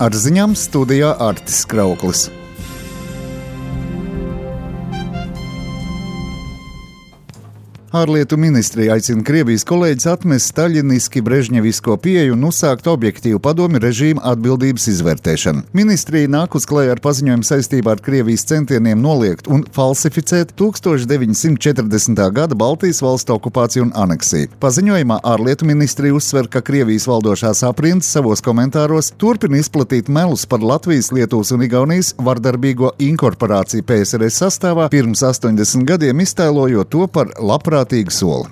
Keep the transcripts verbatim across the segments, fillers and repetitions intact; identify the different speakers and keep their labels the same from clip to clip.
Speaker 1: Ar ziņām studijā Artis Krauklis. Ārlietu ministrija aicina Krievijas kolēģis atmest staļiniski brežņevisko pieeju un uzsākt objektīvu padomju režīmu atbildības izvērtēšanu. Ministrija nāk uz klajā ar paziņojumu saistībā ar Krievijas centieniem noliegt un falsificēt tūkstoš deviņsimt četrdesmitā gada Baltijas valstu okupāciju un aneksiju. Paziņojumā ārlietu ministrija uzsver, ka Krievijas valdošās aprindas savos komentāros turpina izplatīt melus par Latvijas, Lietuvas un Igaunijas vardarbīgo inkorporāciju P S R S sastāvā pirms astoņdesmit gadiem, iztēlojot to par labprāt soli.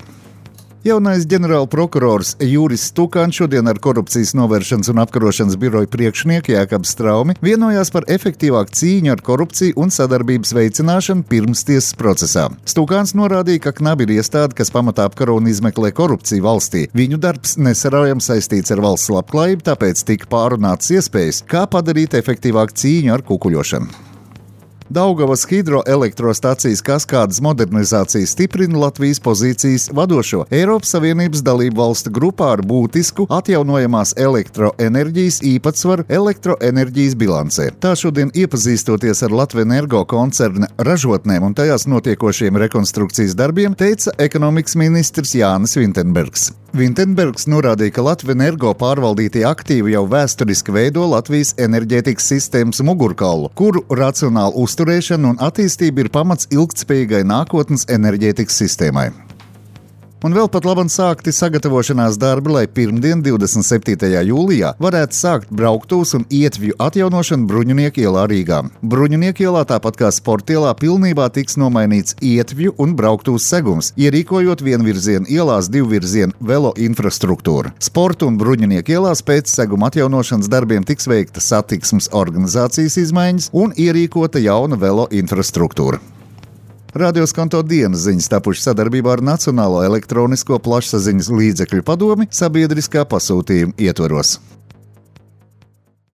Speaker 1: Jaunais ģenerāla prokurors Juris Stukāns šodien ar Korupcijas novēršanas un apkarošanas biroja priekšnieku Jākabu Straumi vienojās par efektīvāku cīņu ar korupciju un sadarbības veicināšanu pirmstiesas procesā. Stukāns norādīja, ka knabi ir iestāde, kas pamatā apkaro un izmeklē korupciju valstī. Viņu darbs nesaraujami saistīts ar valsts labklājību, tāpēc tika pārunātas iespējas, kā padarīt efektīvāku cīņu ar kukuļošanu. Daugavas hidroelektrostacijas kaskādes modernizācija stiprina Latvijas pozīcijas vadošo Eiropas Savienības dalību valstu grupā ar būtisku atjaunojamās elektroenerģijas īpatsvaru elektroenerģijas bilancē. Tā šodien iepazīstoties ar Latvenergo koncerna ražotnēm un tajās notiekošiem rekonstrukcijas darbiem, teica ekonomikas ministrs Jānis Vintenbergs. Vintenbergs norādīja, ka Latvenergo pārvaldītie aktīvi jau vēsturiski veido Latvijas enerģētikas sistēmas mugurkaulu, kuru racionāli uzturēšana un attīstība ir pamats ilgtspējīgai nākotnes enerģētikas sistēmai. Un vēl pat labam sākti sagatavošanās darbi, lai pirmdien, divdesmit septītajā jūlijā, varētu sākt brauktuvs un ietvju atjaunošanu Bruņinieku ielā Rīgā. Bruņinieku ielā, tāpat kā Sportielā, pilnībā tiks nomainīts ietvju un brauktuvs segums, ierīkojot vienvirzienu ielās divvirzienu velo infrastruktūru. Sporta un Bruņinieku ielās pēc seguma atjaunošanas darbiem tiks veikta satiksmes organizācijas izmaiņas un ierīkota jauna velo infrastruktūra. Radioskanto dienas ziņas tapušas sadarbībā ar Nacionālo elektronisko plašsaziņas līdzekļu padomi sabiedriskā pasūtījuma ietvaros.